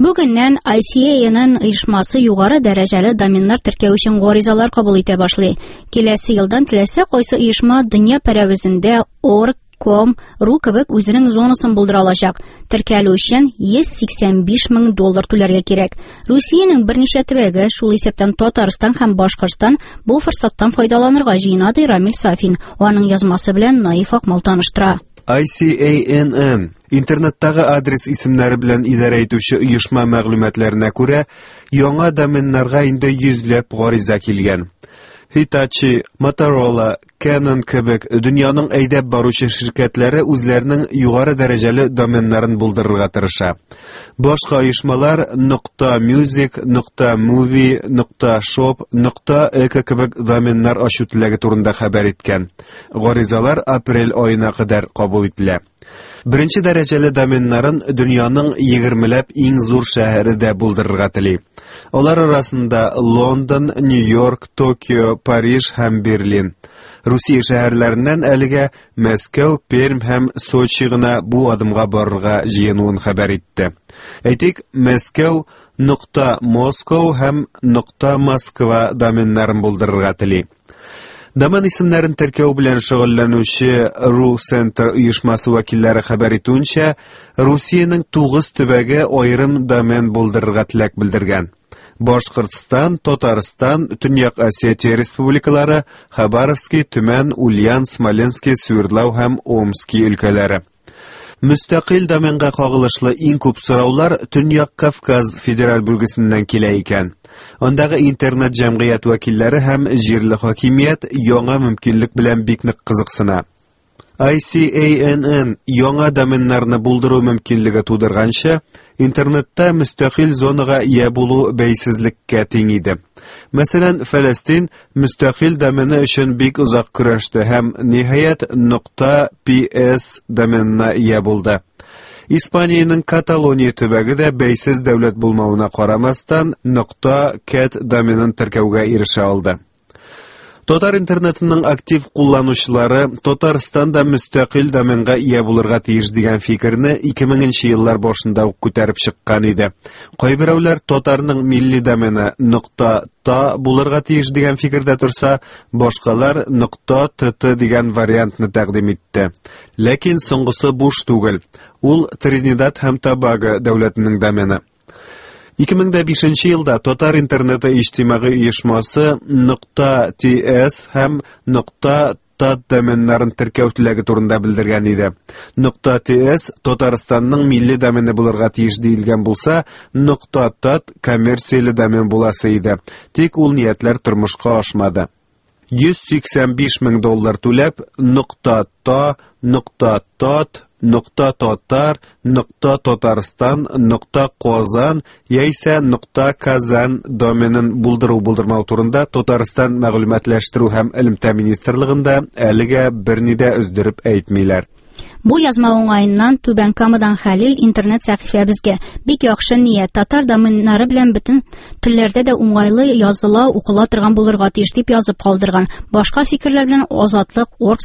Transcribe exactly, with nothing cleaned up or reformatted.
Бүгеннән I C A N N оешмасы югары дәрәҗәле доменнар теркәү өчен гаризалар кабул итә башлый. Киләсе елдан теләсә кайсы оешма дөнья пәрәвезендә org, com, ru кебек үзенең зонасын булдыра алачак. Теркәлү өчен йөз сиксән биш мең доллар түләргә кирәк. Русиянең берничә төбәге, шул исәптән Татарстан һәм Башкортстан, бу форсаттан файдаланырга җыена, ди Рамил Сафин. Аның язмасы белән Наиф Акмал таныштыра. I C A N N интернеттагы адрес исемнәре белән идарә итүче оешма мәгълүматларына күрә, яңа доменнарга инде йөзләп гариза килгән. Hitachi, Motorola, Canon кебек дөньяның әйдәп баручы ширкәтләре үзләренең югары дәрәҗәле доменнарын булдырырга тырыша. Башка оешмалар .music, .movie, .shop, .eco кебек доменнар ачу теләге турында хәбәр иткән. Гаризалар апрель аена кадәр кабул ителә. Беренче дәрәҗәле доменнарын дөньяның егермеләп иң зур шәһәре дә булдырырга тели. Алар арасында Лондон, Нью-Йорк, Токио, Париж һәм Берлин. Русия шәһәрләреннән әлегә Мәскәү, Пермь һәм Сочи гына бу адымга барырга җыенуын хәбәр итте. Әйтик, Мәскәү нокта Moscow һәм нокта Москва доменнарын булдырырга тели. Домен исемнәрен теркәү белән шөгыльләнүче Ru Center оешмасы вәкилләре хәбәр итүенчә, Русиянең тугыз төбәге аерым домен булдырырга теләк белдергән. Башкортстан, Татарстан, Төньяк Осетия республикалары, Хабаровский, Төмән, Ульян, Смоленский, Свердлау һәм Омский өлкәләре. Мөстәкыйль доменга кагылышлы иң күп сораулар Төньяк Кавказ федераль бүлгесеннән килә икән. Андагы интернет җәмгыять вәкилләре һәм җирле хакимият яңа мөмкинлек белән бик нык кызыксына. I C A N N яңа доменнарны булдыру мөмкинлеге тудырганчы, интернетта мөстәкыйль зонага ия булу бәйсезлеккә тиң иде. Мәсәлән, Фәләстин мөстәкыйль домены өчен бик озак көрәште һәм ниһаять нокта P S доменына ия булды. Испаниянең Каталония төбәге дә бәйсез дәүләт булмавына карамастан нокта cat доменын теркәүгә ирешә алды. Татар интернетының актив кулланучылары Татарстан да мөстәкыйль доменга ия булырга тиеш дигән фикерне ике меңенче еллар башында ук күтәреп чыккан иде. Кайберәүләр татарның милли домены нокта та булырга тиеш дигән фикердә торса, башкалар нокта T T дигән вариантны тәкъдим итте. Ләкин соңгысы буш түгел. Ул Тринидад һәм Тобаго дәүләтенең домены. ике мең дә бишенче елда Татар интернеты иҗтимагый оешмасы нокта T S һәм нокта tat доменнарын теркәү теләге турында белдергән иде. Нокта T S Татарстанның милли домены булырга тиеш диелгән булса, нокта tat коммерцияле домен буласы иде. Тик ул ниятләр тормышка ашмады. йөз сиксән биш мең доллар түләп, нокта та, нокта тат, нокта татар, нокта Татарстан, нокта Казан яисә нокта Казан доменын булдыру булдырмау турында Татарстан мәгълүматлаштыру һәм элемтә министрлыгында әлегә берни дә өздереп әйтмиләр. Бу язма уңаеннан Түбән Камадан Хәлил интернет сәхифәбезгә: "Бик яхшы ният, татар доменнары белән бөтен телләрдә дә уңайлы языла, укыла торган булырга тиеш", дип язып калдырган. Башка фикерләр белән Азатлык орг